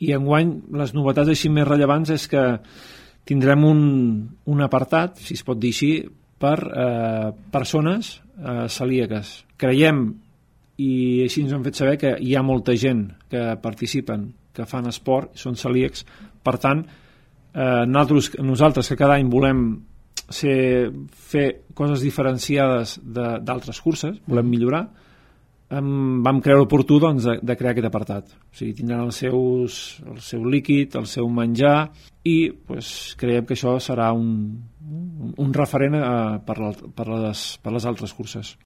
I enguany les novetats així més rellevants és que tindrem un apartat, si es pot dir així, per persones celíaques. Creiem, i així ens han fet saber, que hi ha molta gent que participen, que fan esport, són celíacs. Per tant, nosaltres que cada any volem fer coses diferenciades d'altres curses, volem millorar, vam creure oportú doncs, de crear aquest apartat. O sigui, tindran el seu líquid, el seu menjar, i creiem que això serà un referent per les altres curses.